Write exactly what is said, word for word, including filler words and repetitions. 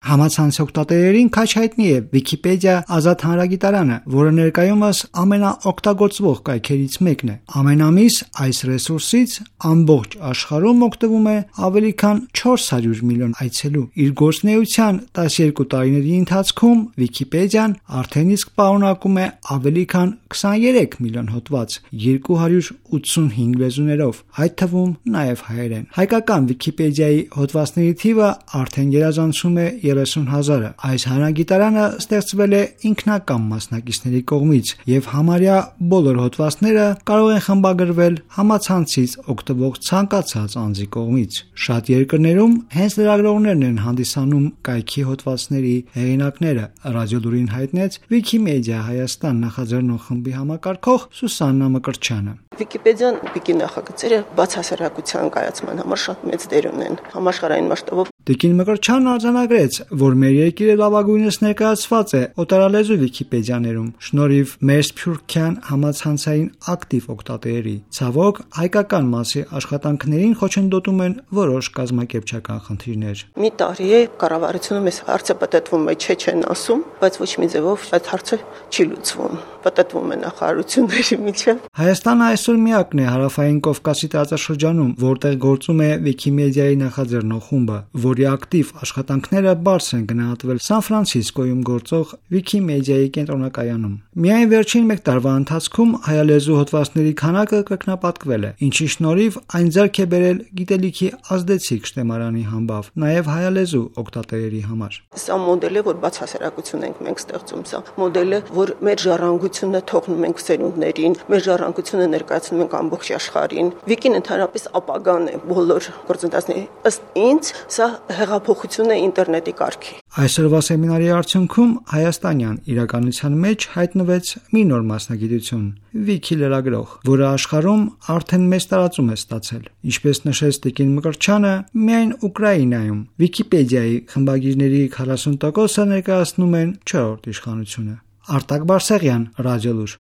Համացանցի օգտատերերին քաջ հայտնի է Wikipedia ազատ հանրագիտարանը, որը ներկայումս ամենաօգտագործվող կայքերից մեկն է։ Ամեն ամիս այս ռեսուրսից ամբողջ աշխարհում օգտվում է ավելի քան չորս հարյուր միլիոն այցելու։ Իր գործունեության տասներկու տարիների ընթացքում Wikipedia-ն արդեն իսկ պարունակում է ավելի քան քսաներեք միլիոն հոդված երկու հարյուր ութսունհինգ լեզուներով, այդ թվում նաև հայերեն։ Հայկական Wikipedia-ի հոդվածների թիվը արդեն գերազանցում է երեսուն հազարը։ Այս հանրագիտարանը ստեղծվել է ինքնակամ մասնակիցների կողմից եւ համարյա բոլոր հոդվածները կարող են խմբագրվել համացանցից օգտվող ցանկացած անձի կողմից։ Շատ երկրներում հենց լրագրողներն են հանդիսանում կայքի հոդվածների հեղինակները, Ռադիոլուրին հայտնեց Wikimedia Հայաստան նախաձեռնող խմբի համակարգող Սուսաննա Մկրտչյանը։ Wikipedia-ն պիկի նախագծերը բացահայտության կայացման համար շատ մեծ դեր ունեն համաշխարհային մասշտաբով։ Տիկին Մկրտչյանն արձանագրեց, որ մեր երկիրը լավագույնս ներկայացված է օտարալեզու Wikipedia-ներում, շնորհիվ մեր սփյուռքյան համացանցային ակտիվ օգտատերերի։ Ցավոք, հայկական մասի աշխատանքներին խոչընդոտում են որոշ կազմակերպչական խնդիրներ։ Մի տարի է կառավարությունը մեզ հարցը պատտվում է, չէ չեն ասում, բայց ոչ մի ձևով այդ հարցը չի լուծվում։ Պատտվում է նախարարությունների միջև։ Հայաստանը այսօր միակն է հարավային Կովկասի տարածաշրջանում, որտեղ գործում է Wikimedia-ի նախաձեռնող խումբը, որի ակտիվ աշխատանքները բարձր են գնահատվել Սան Ֆրանցիսկոյում գործող Wikimedia-ի կենտրոնակայանում։ Միայն վերջին մեկ տարվա ընթացքում հայալեզու հոդվածների քանակը կրկնապատկվել է, ինչի շնորհիվ այն ձեռք է բերել գիտելիքի ազդեցիկ շտեմարանի համբավ, նաև հայալեզու օգտատերերի համար։ Սա մոդել է, որ բացահայտություն ենք մենք ստեղծում, սա մոդել է, որ մեր ժառանգությունը թողնում ենք սերունդներին, մեր ժառանգությունը ներկայացնում ենք ամբողջ աշխարհին։ Վիկին ընդհանրապես ապագան է բոլոր գործընթացների։ Ըստ ինձ, սա հեղափոխություն է ինտերնետի կարգի։ Այսօրվա սեմինարի արդյունքում հայաստանյան իրականության մեջ հայտնվեց մի նոր մասնագիտություն՝ Wiki լրագրող, որը աշխարհում արդեն մեծ տարածում է ստացել։ Ինչպես նշեց Տիկին Մկրտչյանը, միայն Ուկրաինայում Wikipedia-ի խմբագիրների քառասուն տոկոսը ներկայացնում են չորրորդ իշխանությունը։ Արտակ Բարսեղյան, Ռադիոլուր։